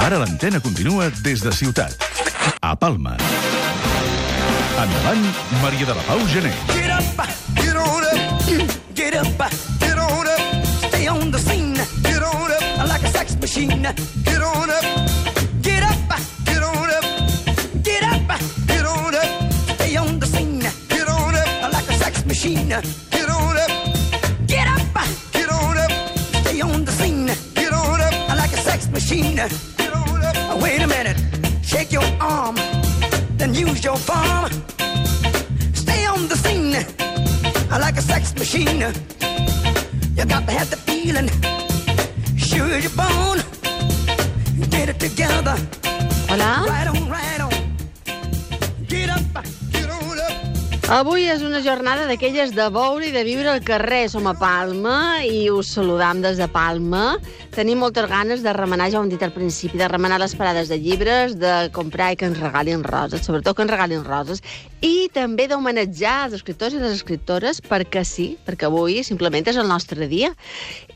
Ara l'antena continua des de Ciutat, a Palma. Endavant, Maria de la Pau Gené. Get up, get on up, get up, get on up, stay on the scene, get on up, like a sex machine, get on up, get up, get on up, get up, get on up, stay on the scene, get on up, like a sex machine, get on up, get up, get on up, stay on the scene, get on up, like a sex machine, get on up. Wait a minute, shake your arm, then use your palm. Stay on the scene, like a sex machine. You got to have the feeling, sure you're born. Get it together. Hola. Right on, right on. Get up, get on up. Avui és una jornada d'aquelles de veure i de viure al carrer. Som a Palma i us saludam des de Palma. Tenim moltes ganes de remenar, ja ho hem dit al principi, de remenar les parades de llibres, de comprar i que ens regalin roses, sobretot que ens regalin roses, i també d'homenatjar els escriptors i les escriptores, perquè sí, perquè avui simplement és el nostre dia.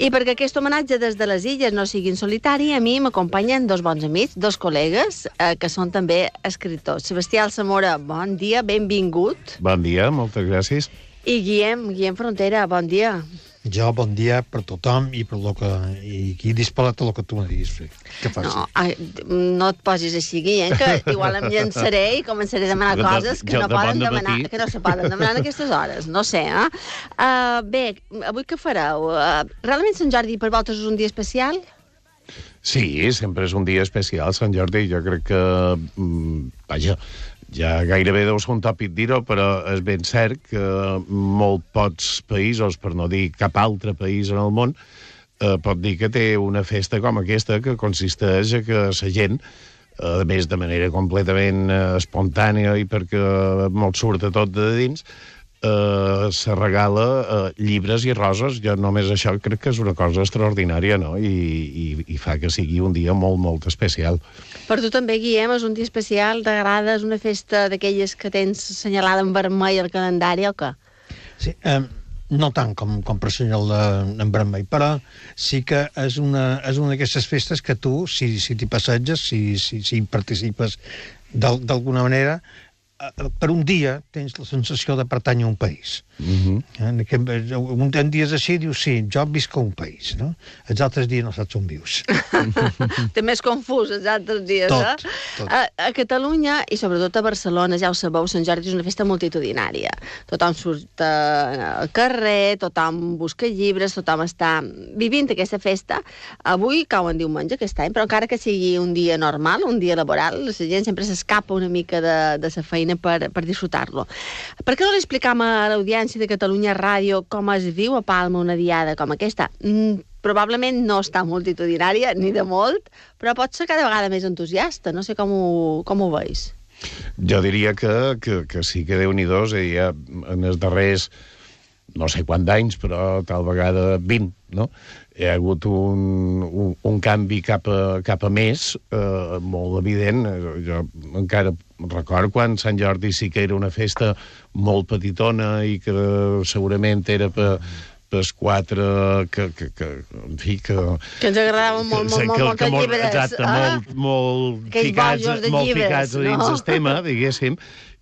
I perquè aquest homenatge des de les illes no sigui en solitari, a mi m'acompanyen dos bons amics, dos col·legues, que són també escriptors. Sebastià Alsamora, bon dia, benvingut. Bon dia, moltes gràcies. I Guillem Frontera, bon dia. Jo, bon dia per tothom i per lo que... I aquí disposat a lo que tu me diguis fer. Que faci. No et posis així, Guillem, que igual em llançaré i començaré a demanar coses que no poden demanar, que no se poden demanar en aquestes hores. No sé, bé, avui què fareu? Realment Sant Jordi per vosaltres és un dia especial? Sí, sempre és un dia especial, Sant Jordi. Jo crec que... Vaja, ja gairebé deu ser un tòpic dir-ho, però és ben cert que molt pocs països, per no dir cap altre país en el món, pot dir que té una festa com aquesta, que consisteix a que la gent, a més de manera completament espontània i perquè molt surt a tot de dins, se regala llibres i roses. Jo només això crec que és una cosa extraordinària, no? I fa que sigui un dia molt, molt especial. Per tu també, Guillem, és un dia especial, t'agrada, és una festa d'aquelles que tens assenyalada en vermell al calendari o què? Sí, no tant com per assenyalar en vermell, però sí que és una d'aquestes festes que tu, si t'hi passeges, si participes d'alguna manera, per un dia tens la sensació de pertànyer a un país. Un dies així dius, sí, jo visc a un país, no? Els altres dies no saps on vius. També és confús els altres dies, tot. A Catalunya, i sobretot a Barcelona, ja ho sabeu, Sant Jordi és una festa multitudinària. Tothom surt al carrer, tothom busca llibres, tothom està vivint aquesta festa. Avui cau en diumenge aquest any, però encara que sigui un dia normal, un dia laboral, la gent sempre s'escapa una mica de la feina per disfrutar-lo. Per què no li explicam a l'audiència de Catalunya Ràdio com es viu a Palma una diada com aquesta? Probablement no està multitudinària, ni de molt, però pot ser cada vegada més entusiasta. No sé com ho veus. Jo diria que sí que Déu-n'hi-do, ja en els darrers no sé quants anys, però tal vegada 20, no? Hi ha hagut un canvi cap a més, molt evident. Jo encara recordo quan Sant Jordi sí que era una festa molt petitona i que segurament era pels quatre en fi, que ens agradaven moltes llibres. Exacte, molt ficats dins el tema, diguéssim.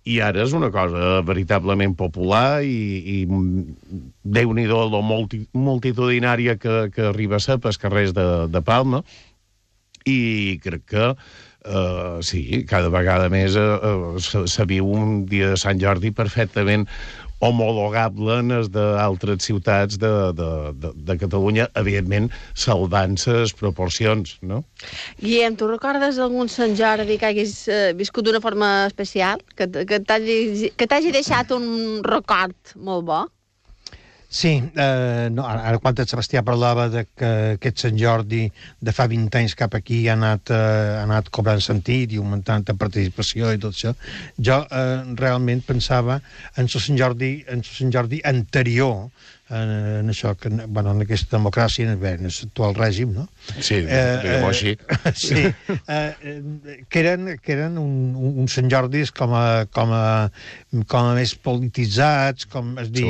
I ara és una cosa veritablement popular i Déu-n'hi-do lo multitudinària que arriba a ser pels carrers de Palma, i crec que sí, cada vegada més se viu un dia de Sant Jordi perfectament homologable en els d'altres ciutats de Catalunya, evidentment salvant les proporcions, no? Guillem, tu recordes algun Sant Jordi que hagis viscut d'una forma especial? Que t'hagi deixat un record molt bo? Sí, ara quan el Sebastià parlava de que aquest Sant Jordi de fa 20 anys cap aquí ha anat cobrant sentit i augmentant la participació i tot això, jo realment pensava en el Sant Jordi anterior, en això, en aquesta democràcia, en l'actual règim, no? Sí, diguem-ho així. Sí, que eren uns Sant Jordis com a més polititzats, és dir,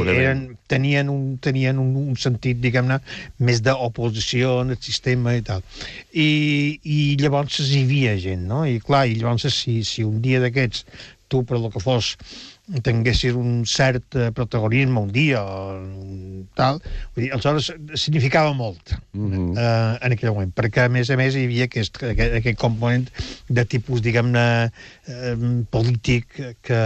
tenien un sentit, diguem-ne, més d'oposició en el sistema i tal. I llavors hi havia gent, no? I clar, i llavors si un dia d'aquests tu, per el que fos, tinguessis un cert protagonisme un dia o tal, vull dir, aleshores significava molt en aquell moment, perquè a més hi havia aquest component de tipus, diguem-ne, polític que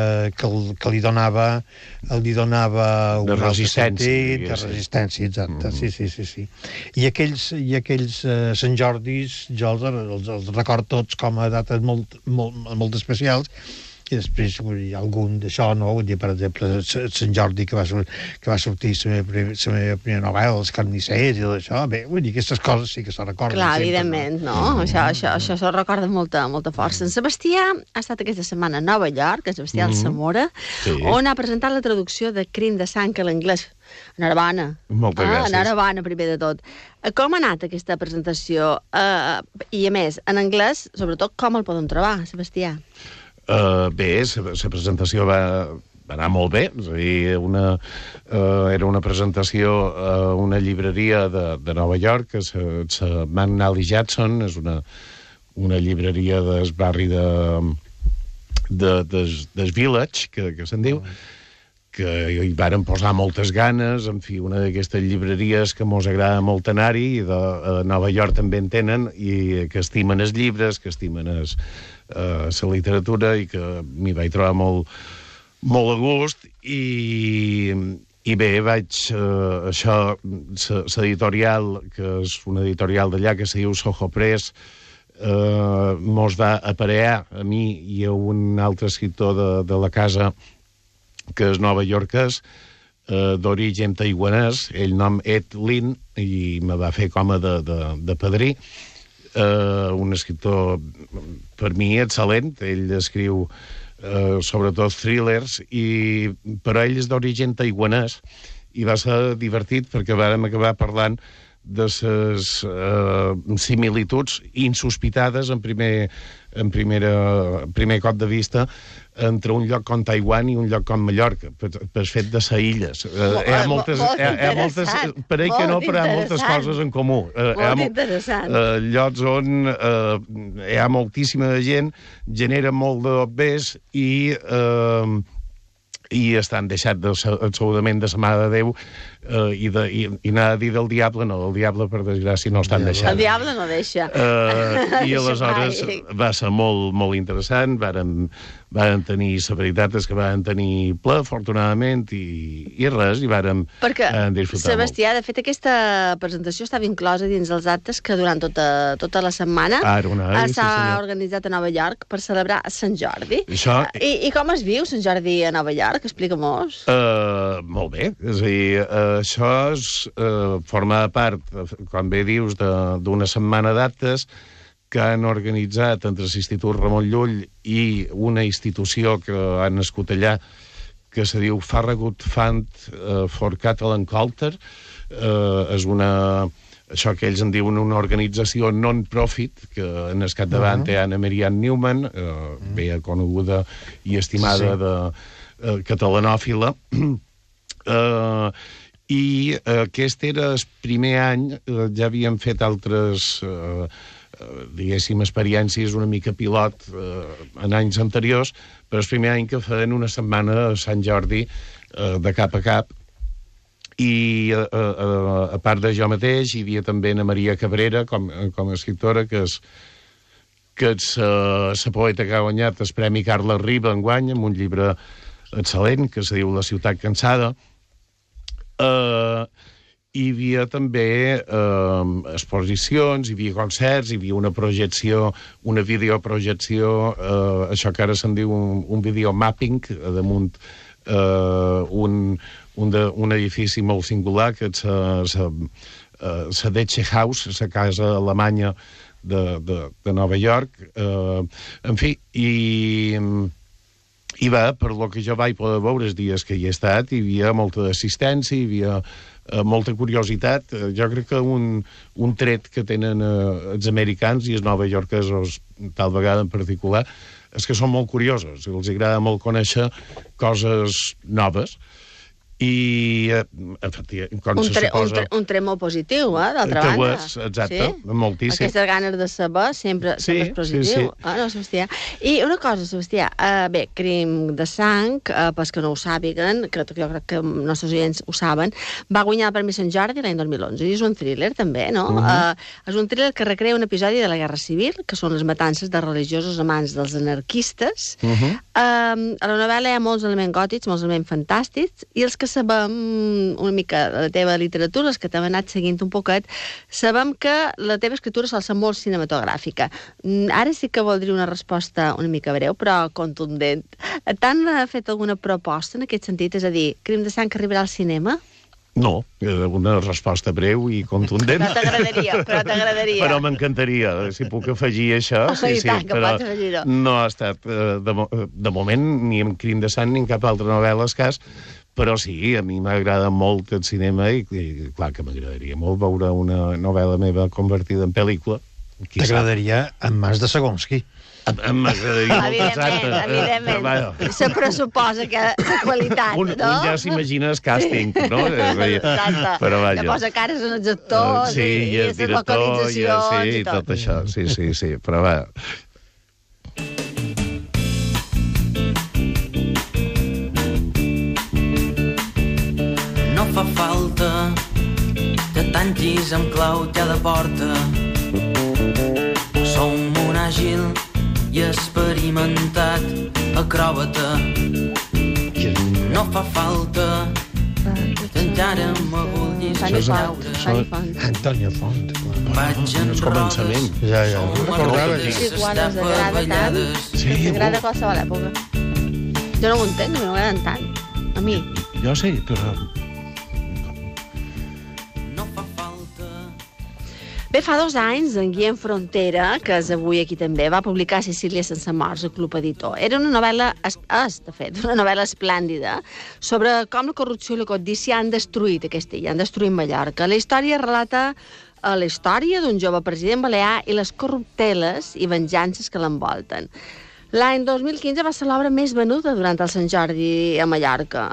li donava un de resistència, de resistència, exacte, sí. I aquells Sant Jordis jo els record tots com a dates molt especials. I després hi ha algun d'això, no? Vull dir, per exemple, Sant Jordi, que va sortir la meva primera novel·la, Els carnissers i tot això. Bé, vull dir, aquestes coses sí que se'n recorden. Clar, evidentment, no? Això se'l recorda amb molta força. En Sebastià ha estat aquesta setmana a Nova York, en Sebastià Alsamora, on ha presentat la traducció de Crim de sang a l'anglès. Enhorabona. Moltes gràcies. Enhorabona, primer de tot. Com ha anat aquesta presentació? I, a més, en anglès, sobretot, com el poden trobar, Sebastià? Bé, la presentació va anar molt bé, és a dir, era una presentació a una llibreria de Nova York, que és la McNally Jackson, és una llibreria del barri del Village, que se'n diu, que hi varen posar moltes ganes, en fi, una d'aquestes llibreries que mos agrada molt anar-hi, i a Nova York també en tenen, i que estimen els llibres, que estimen la literatura, i que m'hi vaig trobar molt a gust, i bé, l'editorial, que és una editorial d'allà que se diu Soho Press, mos va aparear a mi i a un altre escriptor de la casa, que és novaiorquès, d'origen taiwanès, ell nom Ed Lin, i me va fer com a de padrí, un escriptor per mi excel·lent. Ell escriu sobretot thrillers, però ell és d'origen taiwanès, i va ser divertit perquè vàrem acabar parlant de les similituds insospitades en primer cop de vista entre un lloc com Taiwan i un lloc com Mallorca, per fet de ser illes. Hi ha moltes, pareix que no, però hi ha moltes coses en comú. Molt interessant. Llocs on hi ha moltíssima gent, genera molt d'obès i estan deixats absolutament de la mà de Déu, i anar a dir del diable, no, del diable, per desgràcia, no estan deixant. El diable no deixa. I aleshores va ser molt, molt interessant, varen tenir, la veritat és que varen tenir ple, afortunadament, i res, i varen disfrutar molt. Sebastià, de fet, aquesta presentació estava inclosa dins els actes que durant tota la setmana s'ha organitzat a Nova York per celebrar Sant Jordi. I com es viu Sant Jordi a Nova York? Explica-mos. Molt bé, és a dir, això forma part, com bé dius, d'una setmana d'actes que han organitzat entre l'Institut Ramon Llull i una institució que ha nascut allà, que se diu Farragut Fund for Catalan Culture. És això que ells en diuen una organització non-profit, que en el capdavant té Anna Marianne Newman, bé coneguda i estimada catalanòfila, i aquest era el primer any. Ja havíem fet altres diguéssim, experiències una mica pilot en anys anteriors, però el primer any que feien una setmana a Sant Jordi de cap a cap, i a part de jo mateix hi havia també na Maria Cabrera com a escriptora, que és la poeta que ha guanyat el Premi Carles Riba enguany, amb un llibre excel·lent que se diu La ciutat cansada. Hi havia també exposicions, hi havia concerts, hi havia una projecció, una videoprojecció, això que ara se'n diu un videomapping, damunt un edifici molt singular, que és la Deutsche Haus, la casa alemanya de Nova York. En fi, I va, per lo que jo vaig poder veure els dies que hi he estat, hi havia molta assistència, hi havia molta curiositat. Jo crec que un tret que tenen els americans i els novaiorquesos, tal vegada en particular, és que són molt curiosos. Els agrada molt conèixer coses noves. I, efectivament, com se suposa... Un tret molt positiu, d'altra banda. Que ho és, exacte, moltíssim. Aquestes ganes de saber sempre és positiu. Sí. No, Sebastià. I una cosa, Sebastià, bé, Crim de sang, pels que no ho sàpiguen, que jo crec que els nostres oients ho saben, va guanyar el Premi Sant Jordi l'any 2011, i és un thriller, també, no? És un thriller que recrea un episodi de la Guerra Civil, que són les matances de religiosos amants dels anarquistes. A la novel·la hi ha molts elements gòtics, molts elements fantàstics, i els que sabem una mica de la teva literatura, els que t'hem anat seguint un poquet, sabem que la teva escriptura sol ser molt cinematogràfica. Ara sí que voldria una resposta una mica breu, però contundent. T'han fet alguna proposta en aquest sentit? És a dir, Crim de sang arribarà al cinema? No, una resposta breu i contundent. Però t'agradaria. Però m'encantaria, si puc afegir això. I tant, que pots afegir-ho. No ha estat, de moment, ni en Crim de sang ni en cap altra novel·la escàs, però sí, a mi m'agrada molt el cinema i clar que m'agradaria molt veure una novel·la meva convertida en pel·lícula. T'agradaria en mans de Segonsky. M'agradaria molt, exacte. Evidentment. Se pressuposa que de qualitat, no? Un ja s'imagina el càsting, no? Exacte. Però vaja. Que posa cares en els actors i les localitzacions i tot això. Sí, però va... No fa falta que tanquis amb clau cada porta. Som un àgil i experimentat acròbata. No fa falta que encara m'agullis Antonio Font. Vaig en rodes. Ja. Recordava T'agrada qualsevol època. Jo no ho entenc, no m'agraden tant. A mi. Jo sí, però... Bé, fa 2 anys, en Guillem Frontera, que és avui aquí també, va publicar Sicília sense morts al Club Editor. Era una novel·la, de fet, una novel·la esplèndida sobre com la corrupció i la codícia han destruït aquesta illa, han destruït Mallorca. La història relata la història d'un jove president balear i les corrupteles i venjances que l'envolten. L'any 2015 va ser l'obra més venuda durant el Sant Jordi a Mallorca.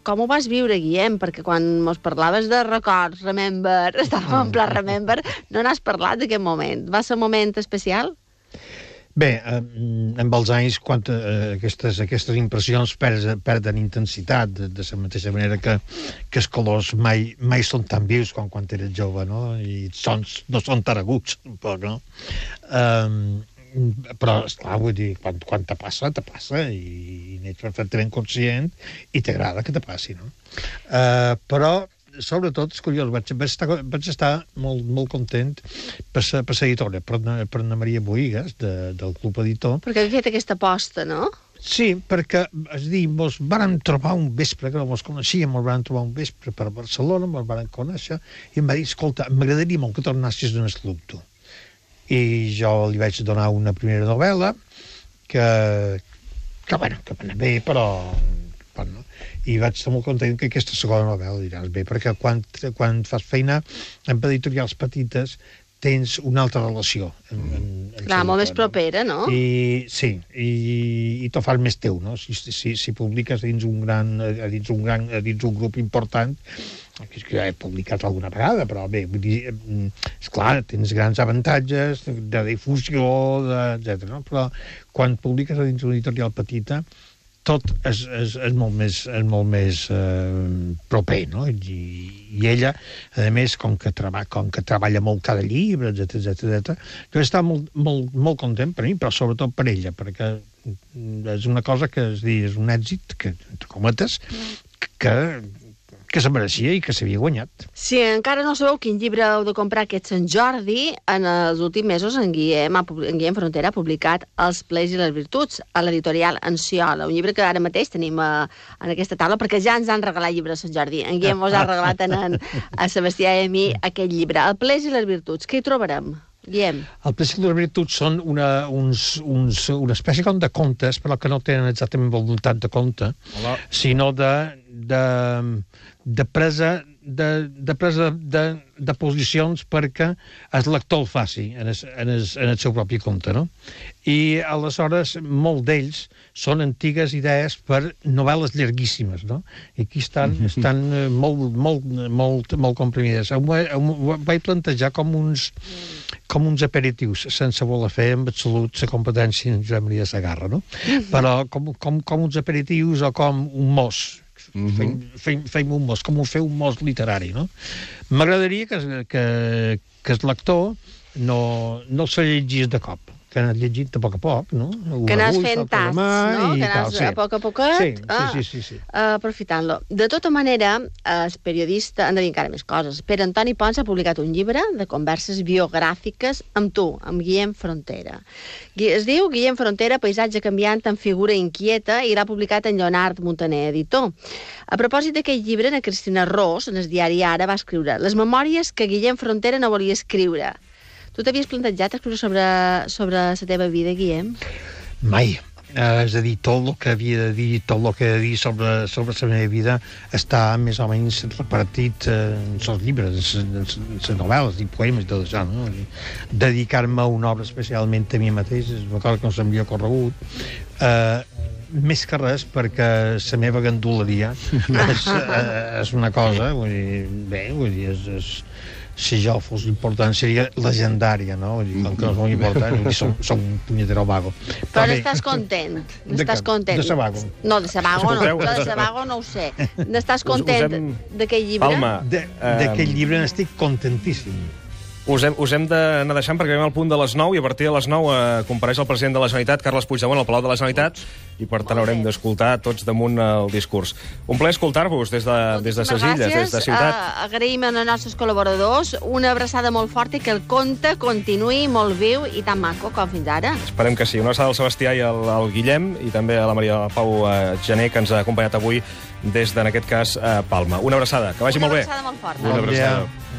Com ho vas viure, Guillem? Perquè quan mos parlaves de records, remember, estàvem en pla remember, no n'has parlat d'aquest moment. Va ser un moment especial? Bé, amb els anys, quan aquestes impressions perden intensitat, de la mateixa manera que els colors mai són tan vius com quan eres jove, no? I els sons no són tan aguts, tampoc, no? Però, esclar, vull dir, quan te passa i n'ets perfectament conscient i t'agrada que te passi, no? Però, sobretot, és curiós, vaig estar molt content per la editora, per Anna Maria Boïgues, del Club Editor. Perquè havia fet aquesta aposta, no? Sí, perquè, és dir, mos vàrem trobar un vespre, que no mos coneixíem, mos vàrem trobar un vespre per Barcelona, mos vàrem conèixer, i em va dir, escolta, m'agradaria molt que tornassis en el club, tu. I jo li vaig donar una primera novel·la que va anar bé, però no. I vaig estar molt content que aquesta segona novel·la diràs bé, perquè quan fas feina amb editorials petites tens una altra relació. Clar, molt més propera, no? Sí, i t'ho fas més teu, no? Si publiques dins un grup important, que ja he publicat alguna vegada, però bé, vull dir, esclar, tens grans avantatges de difusió, etc. No? Però quan publiques dins una editorial petita, tot és molt més proper, no? I ella, a més, com que treballa molt cada llibre, etc. Jo estava molt content per mi, però sobretot per ella, perquè és una cosa que és un èxit, que, entre cometes, que se mereixia i que s'havia guanyat. Si encara no sabeu quin llibre heu de comprar aquest Sant Jordi, en els últims mesos en Guillem Frontera ha publicat Els plers i les virtuts a l'editorial Enciola, un llibre que ara mateix tenim en aquesta taula, perquè ja ens han regalat llibres a Sant Jordi. En Guillem us ha regalat a Sebastià i a mi aquest llibre, Els plers i les virtuts. Què hi trobarem? Guillem. El principi de les virtuts són una espècie com de contes, però que no tenen exactament voluntat de conte, sinó de presa de posicions perquè el lector el faci en el seu propi compte, no? I aleshores molt d'ells són antigues idees per novel·les llarguíssimes, no? I aquí estan molt comprimides. Ho vaig plantejar com uns aperitius, sense voler fer en absolut la competència en Josep Maria Segarra, no? Però com uns aperitius o com un mos, fem un mos, com fer un mos literari, no? M'agradaria que el lector no se llegís de cop, que anés llegint de poc a poc, no? Que anés fent tasts, no? Que anés a poc a poquet sí. aprofitant-lo. De tota manera, el periodista, han de dir encara més coses. Pere Antoni Pons ha publicat un llibre de converses biogràfiques amb tu, amb Guillem Frontera. Es diu Guillem Frontera, paisatge canviant amb figura inquieta, i l'ha publicat en Lleonard Montaner, editor. A propòsit d'aquest llibre, na Cristina Ros, en el diari Ara, va escriure les memòries que Guillem Frontera no volia escriure. Tu t'havies plantejat escriure sobre la teva vida, Guillem? Mai. És a dir, tot el que havia de dir, tot el que he de dir sobre la meva vida està més o menys repartit en els llibres, en les novel·les i poemes i tot això, no? Dedicar-me a una obra especialment a mi mateix és una cosa que no s'havia corregut. Més que res perquè la meva ganduleria és una cosa, vull dir, si jo fos important seria legendària, no? Vull dir, com que no és molt important, som un punyetero vago. Però n'estàs content? N'estàs content? De Sabago. No, de Sabago no. De Sabago no ho sé. N'estàs content d'aquell llibre? Palma. D'aquell llibre n'estic contentíssim. Us hem d'anar deixant perquè veiem al punt de les 9 i a partir de les 9 compareix el president de la Generalitat, Carles Puigdemont, al Palau de la Generalitat, i per tant haurem d'escoltar tots damunt el discurs. Un plaer escoltar-vos des de ses illes, des de Ciutat. Agraïm als nostres col·laboradors, una abraçada molt forta i que el conte continuï molt viu i tan maco com fins ara. Esperem que sí. Una abraçada al Sebastià i al Guillem i també a la Maria Pau Gené, que ens ha acompanyat avui des de, en aquest cas, Palma. Una abraçada. Que vagi molt bé. Una abraçada molt forta. Una abraçada.